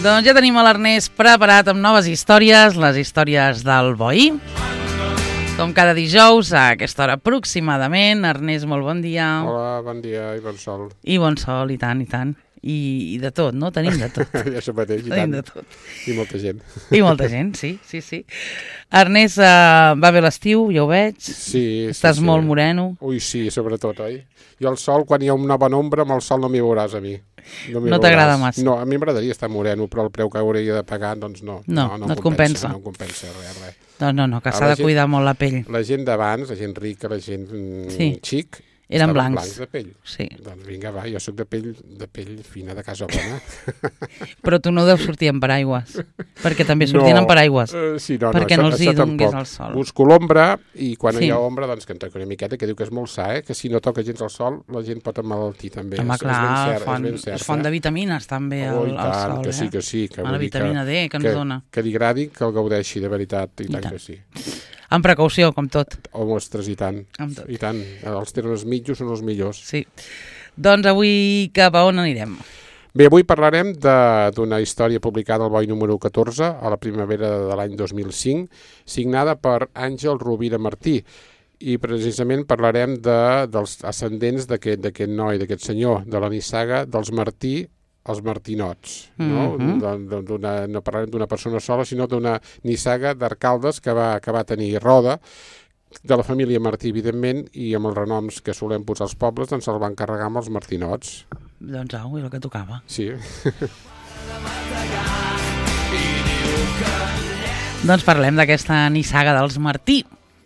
Doncs ja tenim a l'Ernest preparat amb noves històries, les històries del Boi. Com cada dijous, a aquesta hora aproximadament. Ernest, molt bon dia. Hola, bon dia i bon sol. I bon sol, i tant, i tant. I de tot, no? Tenim de tot. Ja això mateix, i Tenim tant. de tot. I molta gent. I molta gent, sí. Ernest, va bé l'estiu, ja ho veig. Sí. Estàs molt moreno. Ui, sí, sobretot, oi? Jo el sol, quan hi ha una bona ombra, amb el sol no m'hi veuràs a mi. No t'agrada massa? No, a mi m'agradaria estar moreno, però el preu que hauria de pagar, doncs no. No et compensa. No em compensa, res. No, que s'ha de cuidar molt la pell. La gent d'abans, la gent rica, la gent xic, eren blancs de pell. Sí. Doncs vinga, va, jo sóc de pell fina, de casa bona. Però tu no deus sortir amb paraigües, perquè també sortien amb paraigües. Sí, perquè no els hi dongués el sol. Busco l'ombra i quan hi ha ombra, doncs que en toca una miqueta, que diu que és molt sa, que si no toca gens el sol, la gent pot emmalaltir també. Home, clar, és font de vitamines també el sol. Que sí. La vitamina D que ens dona. Que li agradi, que el gaudeixi de veritat, i tant que sí. Amb precaució, com tot. Ostres, i tant. I tant. Els termes mitjos són els millors. Sí. Doncs avui cap a on anirem? Bé, avui parlarem d'una història publicada al Boi número 14, a la primavera de l'any 2005, signada per Àngel Rovira Martí. I precisament parlarem dels ascendents d'aquest noi, d'aquest senyor, de la nissaga dels Martí, els Martinots, no? No parlarem d'una persona sola, sinó d'una nissaga d'arcaldes que va tenir Roda, de la família Martí, evidentment, i amb els renoms que solem posar als pobles, doncs se'ls van carregar amb els Martinots. Doncs au, és el que tocava. Sí. Doncs parlem d'aquesta nissaga dels Martí.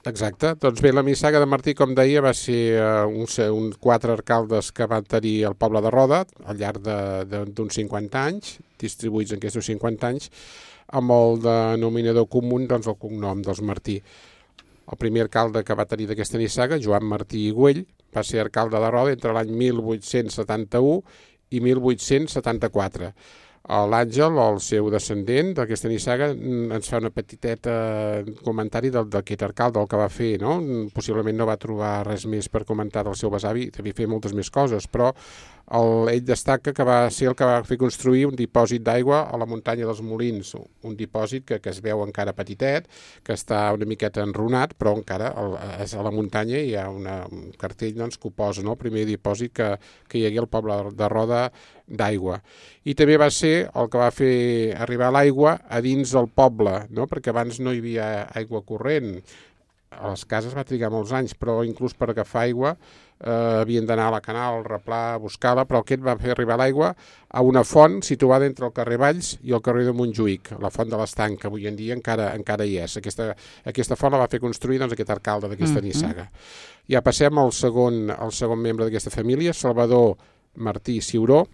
Exacte. Doncs bé, la nissaga de Martí, com deia, va ser uns 4 arcaldes que van tenir el poble de Roda al llarg d'uns 50 anys, distribuïts en aquests 50 anys, amb el denominador comú, doncs el cognom dels Martí. El primer alcalde que va tenir d'aquesta nissaga, Joan Martí i Güell, va ser alcalde de Roda entre l'any 1871 i 1874. L'Àngel, el seu descendent d'aquesta nissaga, ens fa una petiteta comentari d'aquest alcalde, el que va fer, no? Possiblement no va trobar res més per comentar del seu besavi, devia fer moltes més coses, però ell destaca que va ser el que va fer construir un dipòsit d'aigua a la muntanya dels Molins, un dipòsit que es veu encara petitet, que està una miqueta enrunat, però encara a la muntanya hi ha un cartell doncs, que ho posa, no? El primer dipòsit que hi hagué al poble de Roda d'aigua. I també va ser el que va fer arribar l'aigua a dins del poble, no? Perquè abans no hi havia aigua corrent. A les cases va trigar molts anys, però inclús per agafar aigua havien d'anar a la canal, al replà, a buscar-la, però aquest va fer arribar l'aigua a una font situada entre el carrer Valls i el carrer de Montjuïc, la font de l'Estanc, que avui en dia encara hi és. Aquesta font la va fer construir doncs, aquest alcalde d'aquesta nissaga. Ja passem al segon membre d'aquesta família, Salvador Martí Ciuró,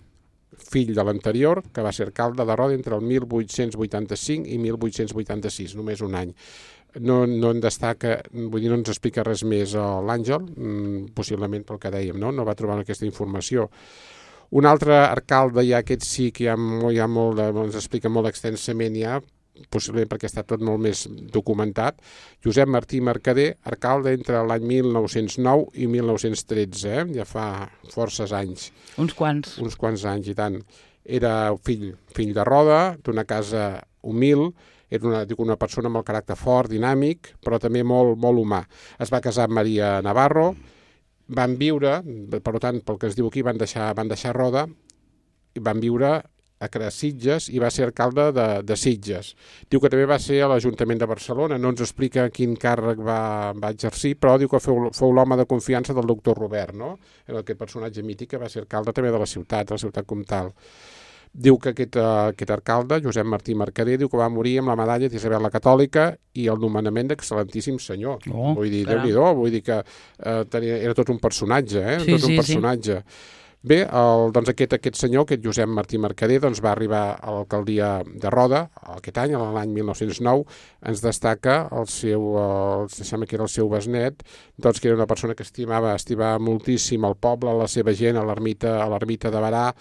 fill de l'anterior, que va ser alcalde de Roda entre el 1885 i 1886, només un any. No en destaca, vull dir, no ens explica res més l'Àngel, possiblement pel que dèiem, no va trobar aquesta informació. Un altre alcalde, ja aquest sí que ens explica molt extensament ja, possiblement perquè està tot molt més documentat, Josep Martí Mercader, alcalde entre l'any 1909 i 1913, ja fa forces anys. Uns quants anys, i tant. Era fill de Roda, d'una casa humil, era una persona amb el caràcter fort, dinàmic, però també molt, molt humà. Es va casar amb Maria Navarro, van viure, per tant, pel que es diu aquí, van deixar Roda, i van viure a Sitges i va ser alcalde de Sitges. Diu que també va ser a l'Ajuntament de Barcelona, no ens explica quin càrrec va exercir, però diu que fou l'home de confiança del doctor Robert, no? Era aquest personatge mític que va ser alcalde també de la ciutat comtal. Diu que aquest alcalde, Josep Martí Mercader, diu que va morir amb la medalla d'Isabel la Catòlica i el nomenament d'excel·lentíssim senyor. Vull dir, Déu-n'hi-do, vull dir que era tot un personatge, tot un personatge. Bé, doncs aquest senyor, aquest Josep Martí Mercader, doncs va arribar a l'alcaldia de Roda aquest any, l'any 1909, ens destaca sembla que era el seu besnet, doncs que era una persona que estimava moltíssim el poble, la seva gent, a l'ermita de Barà,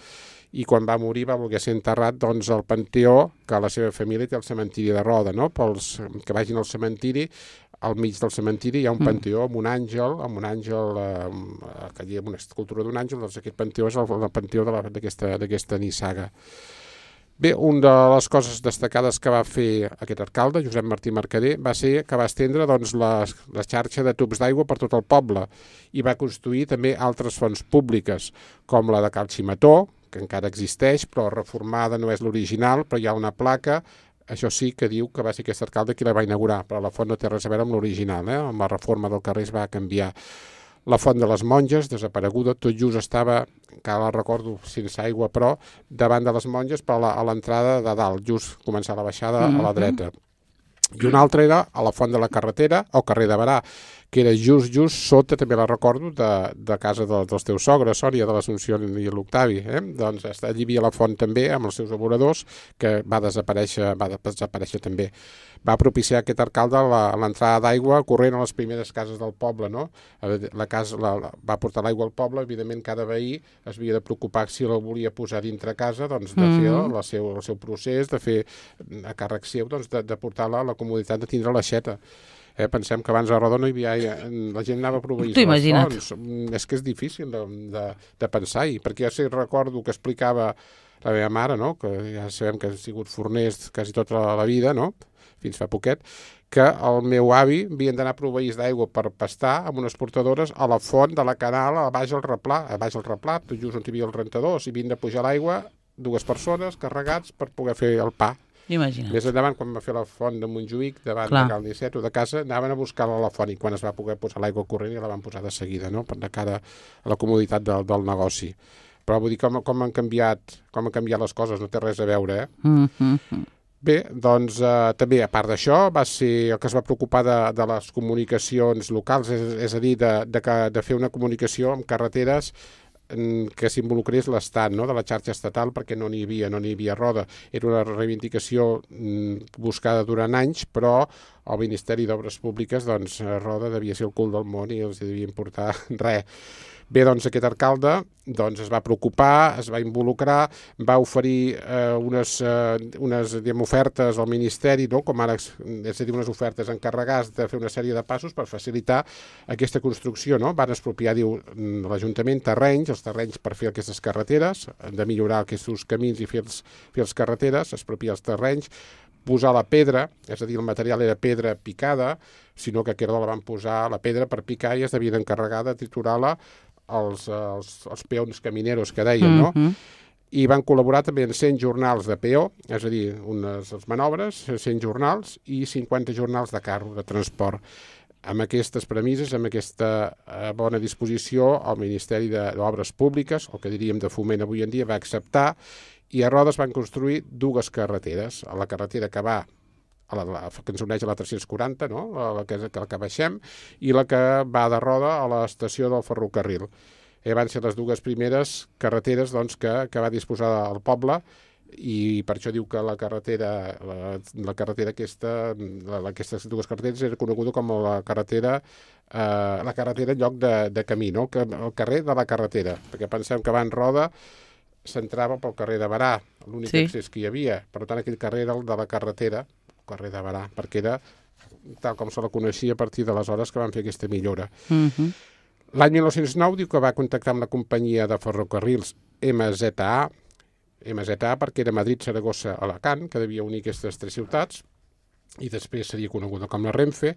i quan va morir va voler ser enterrat doncs, al Panteó, que la seva família té el cementiri de Roda, no? Pels que vagin al cementiri, al mig del cementiri hi ha un panteó amb un àngel, que hi ha una escultura d'un àngel, doncs aquest panteó és el panteó d'aquesta nissaga. Bé, una de les coses destacades que va fer aquest alcalde, Josep Martí Mercader, va ser que va estendre doncs, la xarxa de tubs d'aigua per tot el poble i va construir també altres fonts públiques, com la de Cal Ximató, que encara existeix, però reformada, no és l'original, però hi ha una placa, això sí que diu que va ser aquest alcalde qui la va inaugurar, però la font no té res a veure amb l'original, amb la reforma del carrer es va canviar. La font de les monges, desapareguda, tot just estava, encara la recordo, sense aigua, però davant de les monges, però a l'entrada de dalt, just començar la baixada a la dreta. I una altra era a la font de la carretera, o carrer de Barà, que era just sota, també la recordo, de casa dels teus sogres, Sònia, de l'Assumpció i l'Octavi. Doncs allí hi havia la font també, amb els seus aboradors, que va desaparèixer també. Va propiciar aquest alcalde l'entrada d'aigua corrent a les primeres cases del poble, no? Va portar l'aigua al poble, evidentment cada veí es havia de preocupar si la volia posar dintre casa, doncs de fer el seu procés, de fer a càrrec seu, doncs de portar-la a la comoditat de tindre l'aixeta. Pensem que abans a Roda no hi havia... La gent anava a proveir les fonts. És que és difícil de pensar-hi, perquè ja recordo que explicava la meva mare, no? Que ja sabem que ha sigut forners quasi tota la vida, no? Fins fa poquet, que el meu avi havien d'anar a proveir d'aigua per pastar amb unes portadores a la font de la canal a baix al replà, tot just on hi havia els rentadors, i havien de pujar l'aigua 2 persones carregats per poder fer el pa. Imagina't. Més endavant, quan va fer la font de Montjuïc, davant de Cal Nicet o de casa, anaven a buscar-la a la font i quan es va poder posar l'aigua corrent ja la van posar de seguida, no? De cara a la comoditat del negoci. Però vull dir, com han canviat les coses, no té res a veure, Bé, doncs també, a part d'això, va ser el que es va preocupar de les comunicacions locals, és a dir, de fer una comunicació amb carreteres que s'involucrés l'Estat, no? De la xarxa estatal, perquè no n'hi havia Roda. Era una reivindicació buscada durant anys, però el Ministeri d'Obres Públiques, doncs, Roda devia ser el cul del món i els devia importar res. Bé, doncs aquest alcalde es va preocupar, es va involucrar, va oferir unes ofertes al Ministeri, no? Com ara, és a dir, unes ofertes encarregades de fer una sèrie de passos per facilitar aquesta construcció, no? Van expropiar, diu, l'Ajuntament els terrenys per fer aquestes carreteres, de millorar aquests camins i fer les carreteres, expropiar els terrenys, posar la pedra, és a dir, el material era pedra picada, sinó que a Querdo la van posar la pedra per picar i es devien encarregar de triturar-la els peons camineros que deien, no? I van col·laborar també en 100 jornals de peó, és a dir, unes manobres, 100 jornals i 50 jornals de carro, de transport. Amb aquestes premisses, amb aquesta bona disposició, el Ministeri d'Obres Públiques, el que diríem de Foment avui en dia, va acceptar i a Roda es van construir 2 carreteres. A la carretera que va que ens uneix a la 340, no? La que baixem, i la que va de Roda a l'estació del ferrocarril. Van ser les 2 primeres carreteres doncs, que va disposar el poble i per això diu que la carretera aquesta, aquestes 2 carreteres era coneguda com la carretera en lloc de camí, no? El carrer de la carretera, perquè pensem que abans Roda s'entrava pel carrer de Barà, l'únic accés que hi havia. Per tant, aquell carrer era el de la carretera, el carrer de Barà, perquè era tal com se la coneixia a partir d'aleshores que van fer aquesta millora. L'any 1909 diu que va contactar amb la companyia de ferrocarrils MZA perquè era Madrid, Saragossa, Alacant, que devia unir aquestes 3 ciutats, i després seria coneguda com la Renfe,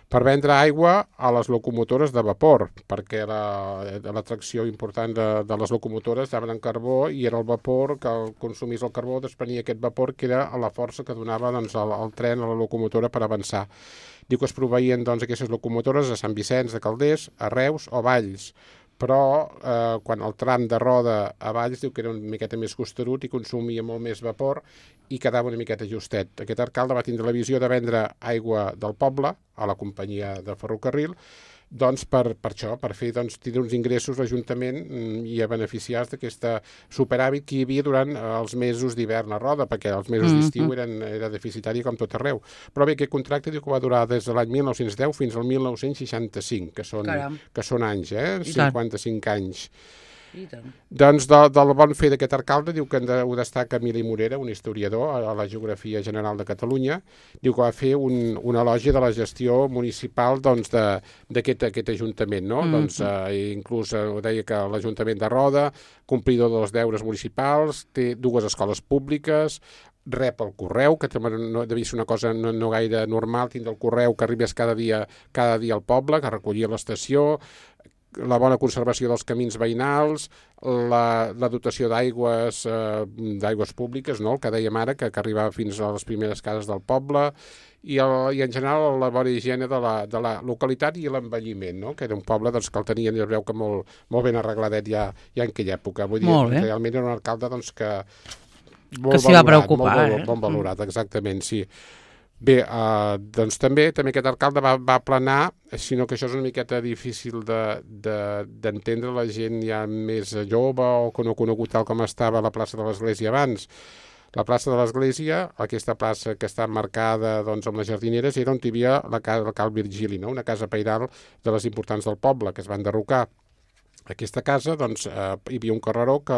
per vendre aigua a les locomotores de vapor, perquè la tracció important de les locomotores anaven en carbó i era el vapor que consumís el carbó, desprenia aquest vapor que era la força que donava doncs, el tren a la locomotora per avançar. Diu que es proveïen doncs, aquestes locomotores a Sant Vicenç de Calders, a Reus o Valls, però quan el tram de Roda a Valls diu que era una miqueta més costerut i consumia molt més vapor i quedava una miqueta justet. Aquest alcalde va tindre la visió de vendre aigua del poble a la companyia de ferrocarril doncs per això, per fer tindre uns ingressos l'Ajuntament i a beneficiar-se d'aquesta superàvit que hi havia durant els mesos d'hivern a Roda, perquè els mesos d'estiu era deficitari com tot arreu. Però bé, aquest contracte diu que va durar des de l'any 1910 fins al 1965, que són anys, 55 anys. Doncs del bon fer d'aquest alcalde diu que ho destaca Emili Morera, un historiador a la Geografia General de Catalunya, diu que va fer un elogi de la gestió municipal d'aquest ajuntament, no? Doncs inclús deia que l'Ajuntament de Roda, complidor dels deures municipals, té 2 escoles públiques, rep el correu, que no devia ser una cosa no gaire normal, tindre el correu que arribés cada dia al poble, que recollia l'estació, la bona conservació dels camins veïnals, la dotació d'aigües públiques, no? El que dèiem ara, que arribava fins a les primeres cases del poble, i en general la bona higiene de la localitat i l'envelliment, no? Que era un poble que el tenien, ja es veu que molt ben arregladet ja en aquella època. Vull dir, realment era un alcalde que s'hi va preocupar. Molt valorat, exactament, sí. Bé, doncs també aquest alcalde va aplanar, sinó que això és una miqueta difícil d'entendre la gent ja més jove o que no ha conegut tal com estava la plaça de l'Església abans. La plaça de l'Església, aquesta plaça que està marcada amb les jardineres, era on hi havia la Cal Virgili, no? Una casa pairal de les importants del poble, que es va enderrocar. Aquesta casa, hi havia un carreró que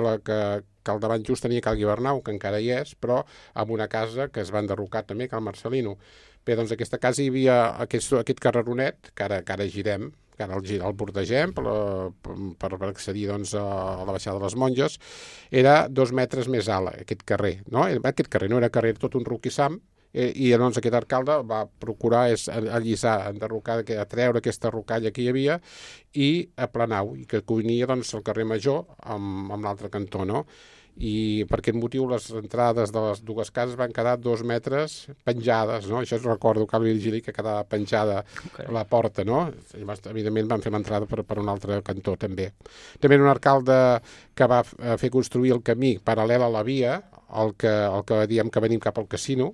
al davant just tenia Cal Guibernau, que encara hi és, però amb una casa que es va enderrocar també, Cal Marcelino. Bé, doncs aquesta casa hi havia aquest carreronet, que ara girem, que ara el bordegem per accedir a la baixada de les Monges, era 2 metres més alt, aquest carrer, no? Aquest carrer no era carrer, tot un roquissam, i doncs aquest alcalde va procurar allisar, enderrocar, treure aquesta rocalla que hi havia i aplanar-ho, i que unia el carrer Major amb l'altre cantó, no? I per aquest motiu les entrades de les 2 cases van quedar 2 metres penjades, no? Això recordo Cal Virgili, que quedava penjada la porta, no? Evidentment van fer l'entrada per un altre cantó, també. També era un alcalde que va fer construir el camí paral·lel a la via, el que diem que venim cap al casino,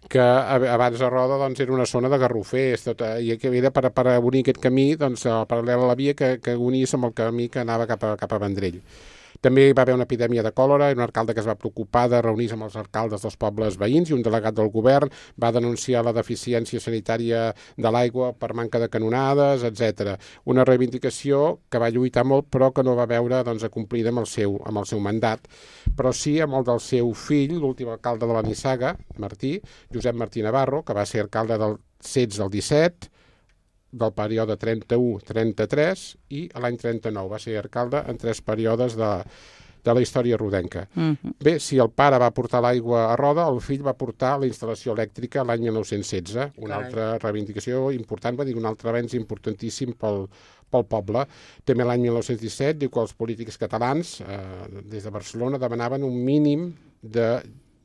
que abans a Roda era una zona de garrofers, i que era per unir aquest camí paral·lel a la via que unís amb el camí que anava cap a Vendrell. També hi va haver una epidèmia de còlera i un alcalde que es va preocupar de reunir-se amb els alcaldes dels pobles veïns, i un delegat del govern va denunciar la deficiència sanitària de l'aigua per manca de canonades, etc. Una reivindicació que va lluitar molt però que no va veure acomplida amb el seu mandat, però sí amb el del seu fill, l'últim alcalde de la Nissaga, Martí, Josep Martí Navarro, que va ser alcalde del 16 al 17, del període 31-33 i l'any 39. Va ser alcalde en 3 períodes de la història rodenca. Bé, si el pare va portar l'aigua a Roda, el fill va portar la instal·lació elèctrica l'any 1916, una altra reivindicació important, va dir un altre avenç importantíssim pel poble. També l'any 1917 diu que els polítics catalans, des de Barcelona, demanaven un mínim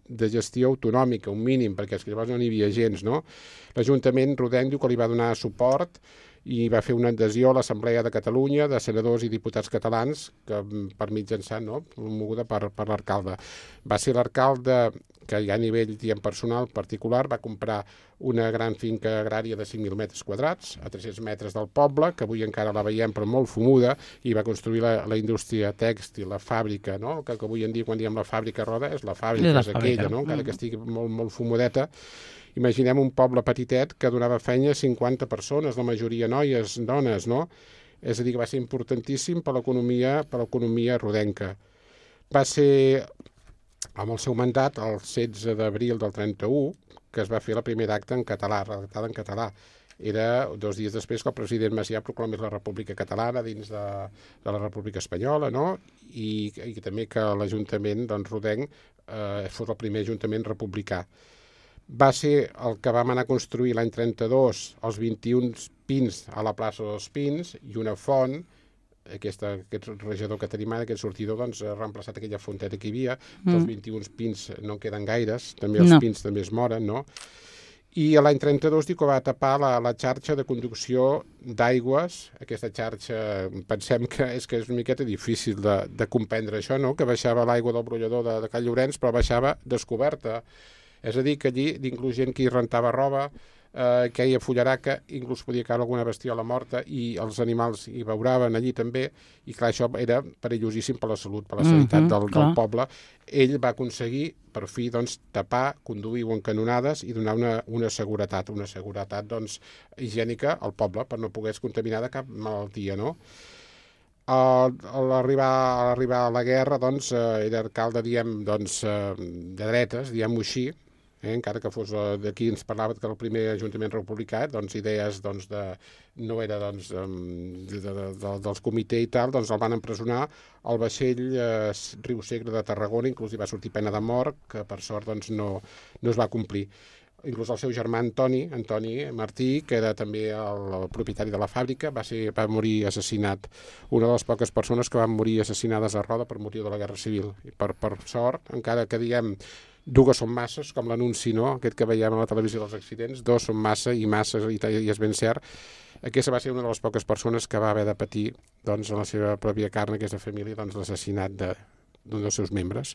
de gestió autonòmica, un mínim, perquè llavors no n'hi havia gens, no? L'Ajuntament rodenc diu que li va donar suport i va fer una adhesió a l'Assemblea de Catalunya de senadors i diputats catalans que per mitjançant, no?, promoguda per l'alcalde. Va ser l'alcalde que ja a nivell personal particular va comprar una gran finca agrària de 5.000 metres quadrats a 300 metres del poble, que avui encara la veiem però molt fumuda, i va construir la indústria tèxtil, la fàbrica, no? Que avui en dia quan diem la fàbrica Roda és la fàbrica, és aquella, no? Encara que estigui molt, molt fumudeta. Imaginem un poble petitet que donava feina a 50 persones, la majoria noies, dones, no? És a dir, que va ser importantíssim per l'economia rodenca. Va ser, amb el seu mandat, el 16 d'abril del 31, que es va fer la primera acta en català, redactada en català. Era 2 dies després que el president Macià proclamés la República Catalana dins de la República Espanyola, no? I també que l'Ajuntament rodenc fos el primer Ajuntament republicà. Va ser el que vam anar a construir l'any 32 els 21 pins a la plaça dels Pins i una font, aquest rejador que tenim ara, aquest sortidor, ha reemplaçat aquella fonteta que hi havia. Els 21 pins no en queden gaires, també els pins també es moren, no? I l'any 32 diu que va tapar la xarxa de conducció d'aigües. Aquesta xarxa, pensem que és una miqueta difícil de comprendre això, no? Que baixava l'aigua del brollador de Call Llorenç, però baixava descoberta. És a dir, que allí, inclús gent que hi rentava roba, que hi fullaraca, inclús podia caure alguna bestiola morta i els animals hi beuraven allí també, i clar, això era perillosíssim per la salut, per la sanitat del poble. Ell va aconseguir, per fi, tapar, conduir-ho en canonades i donar una seguretat higiènica al poble per no poder contaminar de cap malaltia, no? A l'arribar a la guerra, doncs, era alcalde, diguem, doncs, de dretes, diguem-ho així, encara que fos d'aquí ens parlava que el primer ajuntament republicà, doncs, idees doncs, no era doncs, dels comitè i tal, doncs el van empresonar al vaixell Riu Segre de Tarragona, inclús hi va sortir pena de mort, que per sort doncs, no es va complir. Inclús el seu germà Antoni Martí, que era també el propietari de la fàbrica, va morir assassinat. Una de les poques persones que van morir assassinades a Roda per motiu de la Guerra Civil. I per sort, encara que diguem dues són masses, com l'anunci, no? Aquest que veiem a la televisió dels accidents, dos són massa i masses, i és ben cert. Aquesta va ser una de les poques persones que va haver de patir doncs, en la seva pròpia carn, aquesta família, doncs, l'assassinat d'un dels seus membres.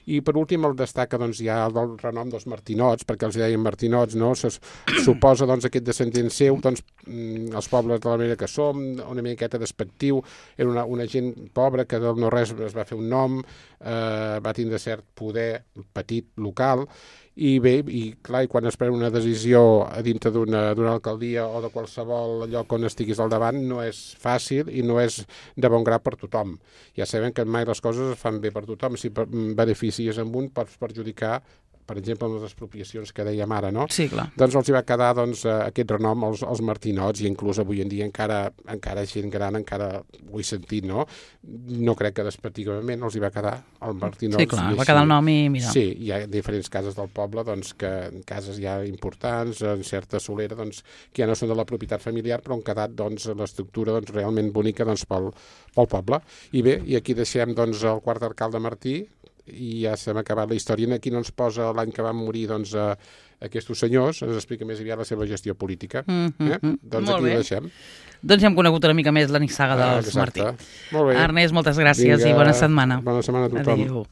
I per últim el destaca doncs, ja el renom dels Martinots, perquè els deien Martinots, no? Suposa doncs, aquest descendent seu, doncs, els pobles de la manera que som, una miqueta despectiu, era una gent pobra que del no-res es va fer un nom, va tindre cert poder petit local, i bé, i clar, quan es pren una decisió a dintre d'una alcaldia o de qualsevol lloc on estiguis al davant no és fàcil i no és de bon grat per tothom. Ja sabem que mai les coses es fan bé per tothom. Si beneficies amb un pots perjudicar, per exemple, amb les expropiacions que dèiem ara, no? Sí, clar. Doncs els hi va quedar doncs, aquest renom als Martinots, i inclús avui en dia encara gent gran encara ho he sentit, no? No crec que despectivament els hi va quedar el Martinots. Sí, clar, va quedar el nom i mira. Sí, hi ha diferents cases del poble, doncs, cases ja importants, en certa solera, doncs, que ja no són de la propietat familiar, però han quedat doncs, l'estructura doncs, realment bonica doncs, pel poble. I bé, i aquí deixem doncs, el quart alcalde Martí, i ja s'ha acabat la història. Aquí no ens posa l'any que van morir doncs, aquests senyors, ens explica més aviat la seva gestió política. Doncs aquí ho deixem. Doncs ja hem conegut una mica més la nissaga dels Martí. Molt bé. Ernest, moltes gràcies. Vinga, i bona setmana. Bona setmana a tothom. Adéu.